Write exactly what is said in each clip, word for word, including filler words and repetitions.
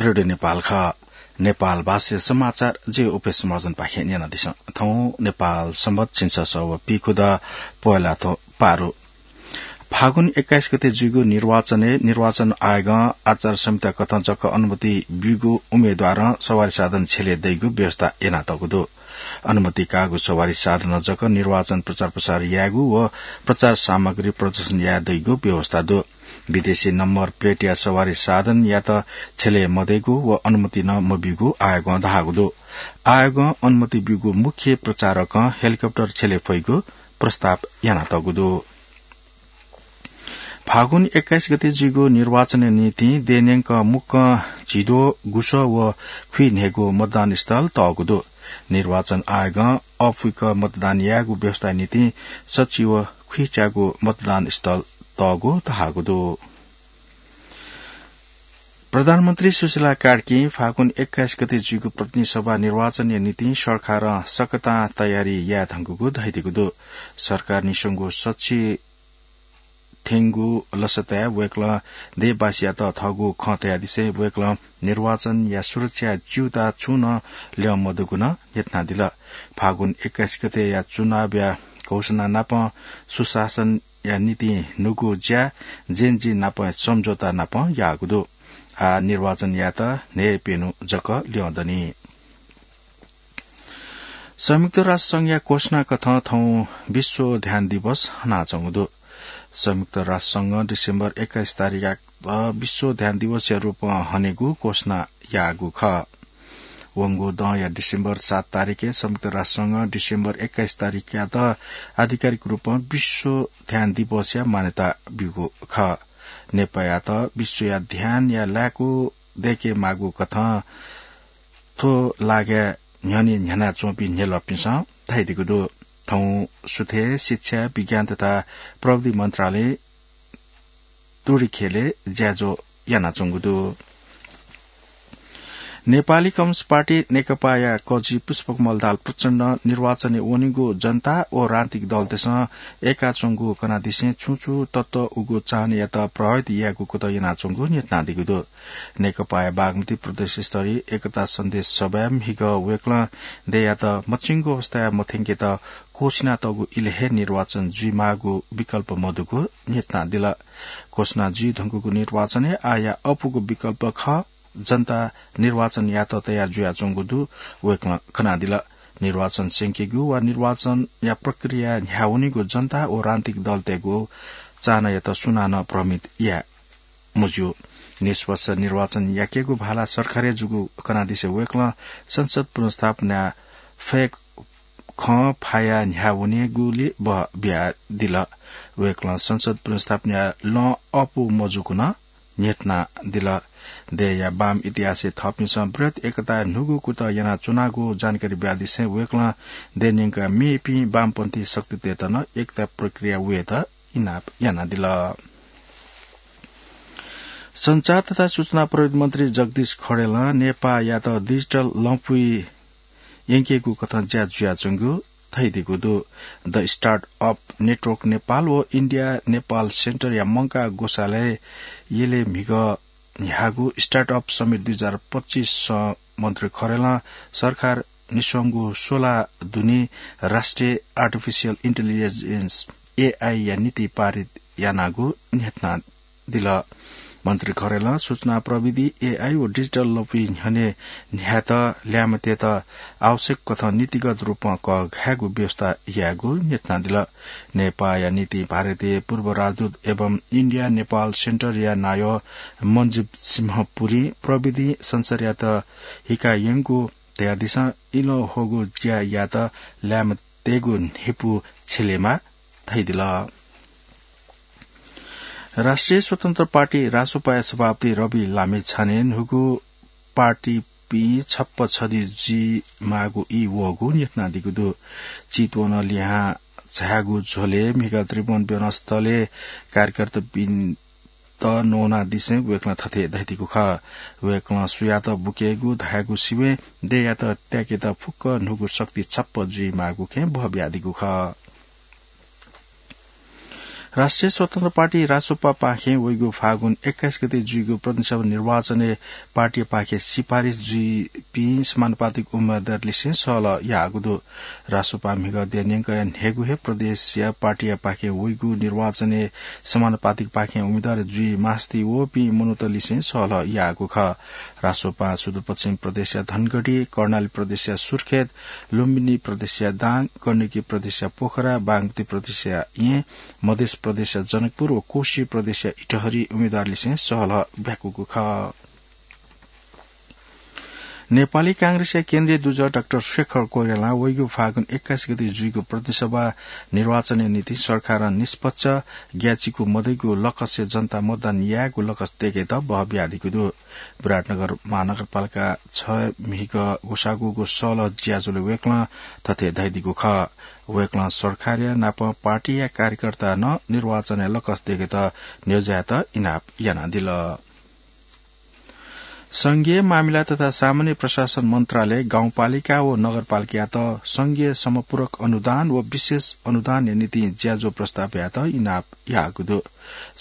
रेडियो नेपाल खः। नेपाल भाषाया समाचार जि उपेश महर्जनपाखें न्यनादिसँ। थौं नेपाल संवत् झिंछसः व पीखुदँ पोहेलाथ्व पारु। फागुन एक्काइस गते जुइगु निर्वाचनय् निर्वाचन आयोगं आचार संहिता कथं जक अनुमति ब्यूगु उम्मेद्वारं सवारी साधन छ्यले दइगु व्यवस्था यानातःगु दु। अनुमति काःगु सवारी साधनं जक निर्वाचन प्रचार प्रसार यायेगु व प्रचार सामग्री प्रदर्शन याये दइगु व्यवस्था दु। विदेशी नम्बर प्लेटया सवारी साधनयात छ्यले मदइगु व अनुमति नं मब्यूगु आयोगं धाःगु दु। आयोगं अनुमति ब्यूगु मुख्य प्रचारकं हेलिकप्टर छ्यले फइगु प्रस्ताव यानातःगु दु। फागुन एक्काइस गते जुइगु निर्वाचनया निंतिं देय्‌न्यंक मुक्कं झिद्वः, गुसः व खुइन्हय्‌गू मतदान स्थल तःगु दु। निर्वाचन आयोगं अःपुक मतदान यायेगु व्यवस्थाया निंतिं सच्छि व खुइच्यागू मतदान स्थल तःगु धाःगु दु। प्रधानमन्त्री सुशीला कार्कीं फागुन एक्काइस गते जुइगु प्रतिनिधि सभा निर्वाचनया निंतिं सरकारं सकतां तयारी याये धुंकूगु धयादीगु दु। सरकार निस्वंगु सच्छि थ्यंगु लसताय् वय्‌कलं देशवासीयात थःगु खँ तयादिसें वय्‌कलं निर्वाचनया सुरक्षा च्यूताः छुं नं ल्यं मदुगु नं न्ह्यथनादिल। फागुन एक्काइस गतेया चुनावया घोषणा नापं सुशासनया निंतिं न्हूगु ज्या जेएनजी नाप सम्झौता नापं याःगु दु। आः निर्वाचन यायेत न्हय्‌प्यन्हु जक ल्यं दनि। संयुक्त राष्ट्र संघया घोषणा कथं थौं विश्व ध्यान दिवस हनाच्वंगु दु। संयुक्त राष्ट्र संघं डिसेम्बर एक्काइस तारिखयात विश्व ध्यान दिवसया रूपं हनेगु घोषणा याःगु खः। वंगु दँया डिसेम्बर सात तारिखय् संयुक्त राष्ट्र संघं डिसेम्बर एक्काइस तारिखयात आधिकारिक रूपं विश्व ध्यान दिवसया मान्यता ब्यूगु खः। नेपाःयात विश्वया ध्यानया लाय्‌कू दय्‌के माःगु कथं थ्व लागाय् न्ह्यःने न्ह्यानाच्वंपिं न्ह्यलपिन्सं धयादीगु दु। थौं सुथय् शिक्षा, विज्ञान तथा प्रविधि मन्त्रालयं तुरिखेलय् ज्याझ्वः यानाच्वंगु दु। नेपाली कम्युनिस्ट पार्टी नेकपाया कजि पुष्पकमल दाहाल प्रचण्डं निर्वाचनय् वनीगु जनता व राजनीतिक दलतय्‌सं यय्‌काच्वंगु कनादिसें छुं छुं तत्व उगु चाहनायात प्रभावित यायेगु कुतः यानाच्वंगु न्ह्यथनादीगु दु। नेकपाया बागमती प्रदेश स्तरीय एकता सन्देश सभाय् म्हिगः वय्‌कलं देय्‌यात मच्वंगु अवस्थाय् मथ्यंकेत क्वःछिनातःगु इलय् हे निर्वाचन जुइमाःगु विकल्प मदुगु न्ह्यथनादिल। घोषणा जुइ धुंकूगु निर्वाचनय् आःया अःपुगु विकल्प खः। जनता निर्वाचन यात तयार जुयाच्वंगु दु वय्‌कलं कनादिल। निर्वाचन स्यंकेगु वा निर्वाचनया प्रक्रिया न्ह्यावनीगु जनता व राजनीतिक दलतय्‌गु चाहनायात सुनानं भ्रमित याये मज्यू। निष्पक्ष निर्वाचन याकेगु भाला सरकारय् जूगु कनादिसे वय्‌कलं संसद पुनर्स्थापनाय् फय् खँ फायाः न्ह्यावनेगुलि बः बियादिल। वय्‌कलं संसद पुनर्स्थापनाया लँ अःपु मजूगु नं न्ह्यथनादिल। देय्‌या वाम इतिहासय् थःपिन्सं बृहत् एकताया न्हूगु कुतः यानाच्वनागु जानकारी बियादिसें वय्‌कलं देय्‌न्यंक मेपिं वामपन्थी शक्तितय्‌त नं एकता प्रक्रिया वयेत इनाप यानादिल। सञ्चार तथा सूचना प्रविधि मन्त्री जगदीश खड्गीं नेपाःयात डिजिटल लँपुइ यंकेगु कथं ज्या जुयाच्वंगु धयादीगु दु। द स्टार्टअप नेटवर्क नेपाल व इन्डिया नेपाल सेन्टरया मंकाः ग्वसालय् यलय् म्हिगः न्ह्याःगु स्टार्टअप समिट दुई हजार पच्चिसं मन्त्री खड्गीं सरकार निस्वंगु सोला दुने राष्ट्रिय आर्टिफिसियल इन्टेलिजेन्स, एआई या नीति पारित यानागु न्ह्यथनादिल। मन्त्री खड्गीं सूचना प्रविधि, एआई व डिजिटल लँपुइ न्ह्यःने न्ह्यायेत ल्याय्म्हतय्‌त आवश्यक कथं नीतिगत रूपं कःघायेगु व्यवस्था यायेगु न्ह्यथनादिल। नेपाःया निंतिं भारतय् पूर्व राजदूत एवं इन्डिया नेपाल सेन्टरया नायः मन्जीव सिंह पुरीं प्रविधि संसारयात हिकायंगु धयादिसें इलंह्वःगु ज्या यायेत ल्याय्म्हतय्‌गु न्ह्यइपु छ्यलेमाः धयादिल। राष्ट्रिय स्वतन्त्र पार्टी रासोपाया सभापति रवि लामिछानें न्हूगु पार्टीपिं छप्पँ छधी जुइमाःगु ई वःगु न्ह्यथनादीगु दु। चितवनं लिहां झायेगु झ्वलय् म्हिगः त्रिभुवन विमानस्थलय् कार्यकर्तापिन्त न्वनादिसें वय्‌कलं थथे धयादीगु खः। वय्‌कलं सुयात बुकेगु धायेगु सिबें देय्‌यात त्याकेत फुक्क न्हूगु शक्ति छप्पँ जुइमाःगु खँय् बः बियादीगु खः। राष्ट्रिय स्वतन्त्र पार्टी रासोपा पाखें वइगु फागुन एक्काइस गते जुइगु प्रतिनिधि सभा निर्वाचनय् पार्टीया पाखें सिफारिस जुइपिं समानुपातिक उम्मेदवारलिसें सहलह याःगु दु। रासोपा म्हिगः देय् न्यंकया न्हय्गू हे प्रदेशया पार्टीया पाखें वइगु निर्वाचनय् समानुपातिक पाखें उम्मेदवार जुइ मास्ति वःपिं मनूतलिसें सहलह याःगु खः। रासोपां सुदूरपश्चिम प्रदेशया धनगढी, कर्णाली प्रदेशया सुर्खेत, लुम्बिनी प्रदेशया दाङ, गण्डकी प्रदेशया पोखरा, बागमती प्रदेशया येँ, मधेस प्रदेशया जनकपुर व कोशी प्रदेशया इटहरी उम्मेदवारलिसें सहलह ब्याकूगु खः। नेपाली कांग्रेसया केन्द्रीय दुजः डाक्टर शेखर कोइरालां वइगु फागुन एक्काइस गते जुइगु प्रतिनिधि सभा निर्वाचनया निंतिं सरकारं निष्पक्ष, ग्याःचिकु मदइगु लकसय् जनता मतदान यायेगु लकस दय्केत बहः बियादीगु दु। विराटनगर महानगरपालिका छ म्हिगः ग्वसाः ग्वःगु सहलह ज्याझ्वलय् वय्कलं थथे धयादीगु खः। वय्कलं सरकारया नाप पार्टीया कार्यकर्ता नं निर्वाचनय् लकस दय्केत न्ह्यज्यायेत इनाप यानादिल। संघीय मामिला तथा सामान्य प्रशासन मन्त्रालय गाउँपालिका व नगरपालिकायात संघीय समपूरक अनुदान व विशेष अनुदानया निंतिं ज्याझ्वः प्रस्ताव यायेत इनाप याःगु दु।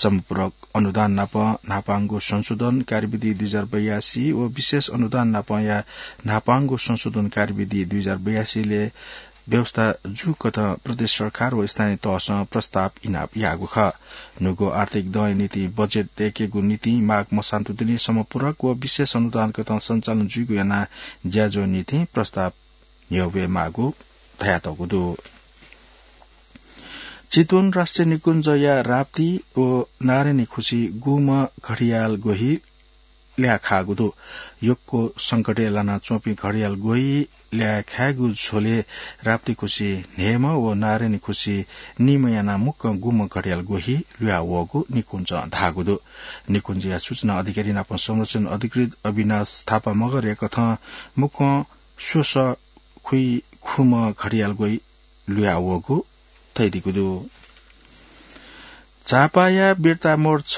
समपूरक अनुदान नाप न्हापांगु संशोधन कार्यविधि दुई हजार बयासी व विशेष अनुदान नापया न्हापांगु संशोधन कार्यविधि दुई हजार बयासीलय् व्यवस्था जूकथं प्रदेश सरकार व स्थानीय तहसं प्रस्ताव इनाप याःगु खः। न्हूगु आर्थिक दँया निंतिं बजेट दय्केगु निंतिं माघ मसान्तु दिने समपूरक व विशेष अनुदान कथं सञ्चालन जुइगु यानाः ज्याझ्वः निंतिं प्रस्ताव न्ह्यब्वये माःगु धयातःगु दु। चितवन राष्ट्रिय निकुञ्जया राप्ती व नारायणी खुसी गुम्ह घडियाल ग्वहि ल्याये खाःगु दु। यक्व संकटय् लानाच्वंपिं घडियाल ग्वहि ल्याये खायेगु झ्वलय् राप्ती खुसी न्हय्म्ह व नारायणी खुसी निम्ह यानाः मुक्कं गुम्ह घडियाल ग्वहि लुया वःगु निकुञ्जं धाःगु दु। निकुञ्जया सूचना अधिकारी नाप संरक्षण अधिकृत अविनाश थापा मगरया कथं मुक्कं स्वसः खुइ खुम्ह घडियाल ग्वहि लुया वःगु धयादीगु दु। झापाया बिर्ता मोड छ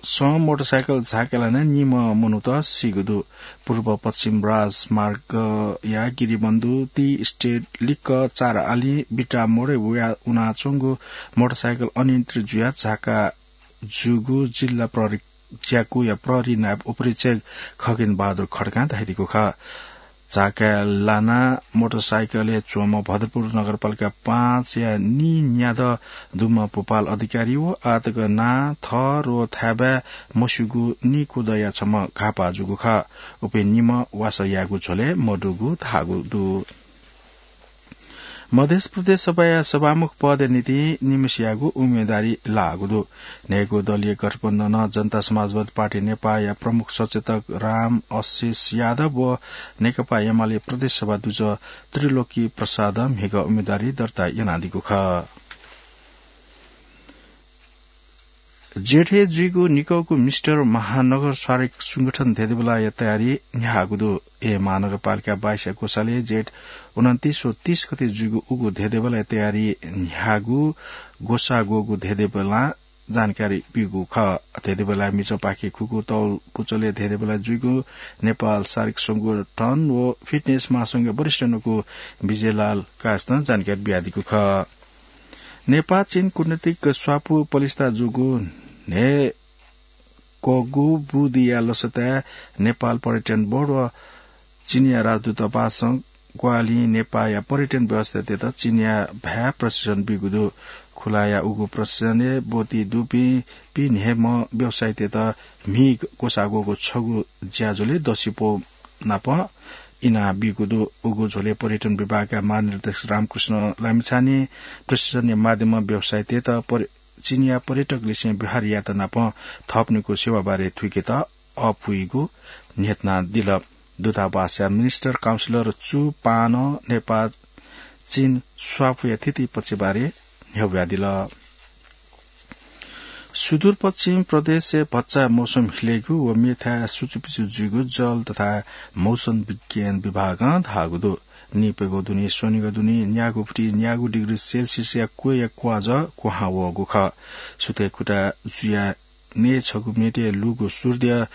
स मोटरसाइकल झाँक्क लानाः निम्ह मनूत सीगु दु। पूर्व पश्चिम राजमार्गया गिरिबन्धु टी स्टेट लिक्क चार आली बिर्ता मोडय् वया उनाच्वंगु मोटरसाइकल अनियन्त्रित जुयाः झाँक्क जूगु जिल्ला प्रहरी ज्याकुया प्रहरी नायब उपरीक्षक खगेन बहादुर खड्कां धयादीगु खः। झाँक्क लानाः मोटरसाइकलय् च्वंम्ह भद्रपुर नगरपालिका पाँचया नीन्यादँ दुम्ह भूपाल अधिकारी व आःतक नां, थर व थाय्बाय् मस्यूगु नीकुदँया छम्ह घाःपाः जूगु खः। उपिं निम्ह वासः यायेगु झ्वलय् मदुगु धाःगु दु। मधेस प्रदेश सभाया सभामुख पदया निंतिं निम्हसियागु उम्मेदवारी लाःगु दु। न्हय्गू दलीय गठबन्धनं जनता समाजवादी पार्टी नेपाःया प्रमुख सचेतक राम आशिष यादव व नेकपा एमाले प्रदेश सभा दुजः त्रिलोकी प्रसादं म्हिगः उम्मेदवारी दर्ता यानादीगु खः। जेठय् जुइगु निकःगु मिस्टर महानगर शारीरिक संगठन धेंधेंबेलाया तयारी न्ह्याःगु दु। ए महानगरपालिका बाइसया ग्वसालय् जेठ उनन्तीस व तीस गते जुइगु उगु धेंधेंबेलाया तयारी न्ह्याःगु ग्वसाः ग्वःगु धेंधेंबेलां जानकारी ब्यूगु खः। धेंधेंबेलाया मिजंपाखे खुगू तौल पुचलय् धेंधेंबेलाय् जुइगु नेपाल शारीरिक संगठन व फिटनेस महासंघया वरिष्ठ न्वकू विजयलाल कायस्थं जानकारी बियादीगु खः। नेपाः चीन कूटनीतिक स्वापू पलिस्था जूगु न्हय्कःगु बुदिया लसताय् नेपाल पर्यटन बोर्ड व चीनया राजदूतावासं ग्वाहालिं नेपाःया पर्यटन व्यवस्थातय्त चीनया भाय् प्रशिक्षण बीगु दु। खुलाया उगु प्रशिक्षणय् ब्वति दुपिं पीन्हय्म्ह व्यवसायीतय्त म्हि ग्वसाः ग्वःगु छगू ज्याझ्वलय् दसिपौ नाप इनाः बीगु दु। उगु झ्वलय् पर्यटन विभागया महानिर्देशक रामकृष्ण लामिछानें प्रशिक्षणया माध्यमं व्यवसायीतय्त पर-, चीनया पर्यटकलिसें व्यवहार यायेत नाप थःपिनिगु सेवा बारे थुइकेत अःपुइगु न्ह्यथनादिल। दूतावासया मिनिस्टर काउन्सिलर चु पानं नेपाः चीन स्वापूया थिति पक्षबारे न्ह्यब्वयादिल। सुदूरपश्चिम प्रदेशय् भचा मौसम हिलेगु व मेथाय् सुचुपिचु जुइगु जल तथा मौसम विज्ञान विभागं धाःगु दु। निप्यंगू दुने स्वनिगू दुने न्यागू फुति न्यागू डिग्री सेल्सियसया क्वय्या क्वाजः क्वहां वःगु खः। सुथय् कुता जुयाः नये छगू मिनेटय् लुगु सूर्य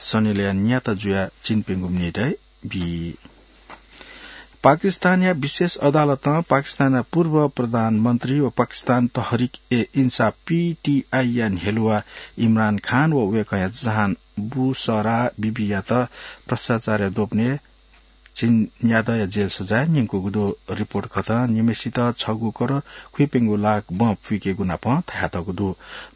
सनिलय् न्याता जुयाः चिन्प्यंगू मिनेटय् बी। पाकिस्तानया विशेष अदालतं पाकिस्तानया पूर्व प्रधानमन्त्री व पाकिस्तान तहरिक ए इन्साफ, पीटीआई या न्ह्यलुवा इमरान खान व वय्कःया जहान बुसरा बिबीयात भ्रष्टाचारया दोपनय् झिंन्यादँया जेल सजाय न्यंकूगु दु। रिपोर्ट कथं निम्हय्सित छगू करोड खुइप्यंगू लाख बँ पुइकेगु नापं धयातःगु दु।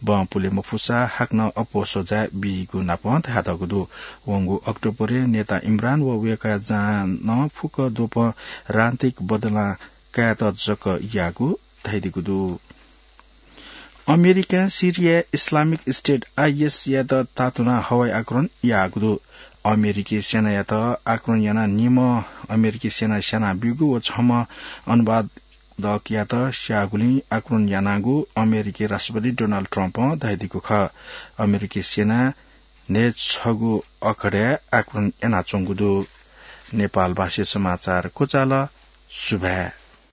बँ पुले मफुसा हाकनं अप्वः सजाय बीगु नापं धयातःगु दु। वंगु अक्टोबरय् नेता इमरान व वय्कःया जहानं फुक्क द्वपं राजनीतिक बदलां कायेत जक याःगु धयादीगु दु। अमेरिकां सिरियाय् इस्लामिक स्टेट आईएस यात तातुनाः हवाई आक्रमण याःगु दु। अमेरिकी सेनायात आक्रमण यानाः निम्ह अमेरिकी सेना स्यानाब्यूगु व छम्ह अनुवादकयात स्याःगुलिं आक्रमण यानागु अमेरिकी राष्ट्रपति डोनाल्ड ट्रम्पं धयादीगु खः। अमेरिकी सेना न्हय्छगू अखडय् आक्रमण यानाच्वंगु दु। नेपालभाषी समाचार क्वचाल। सुभाय्।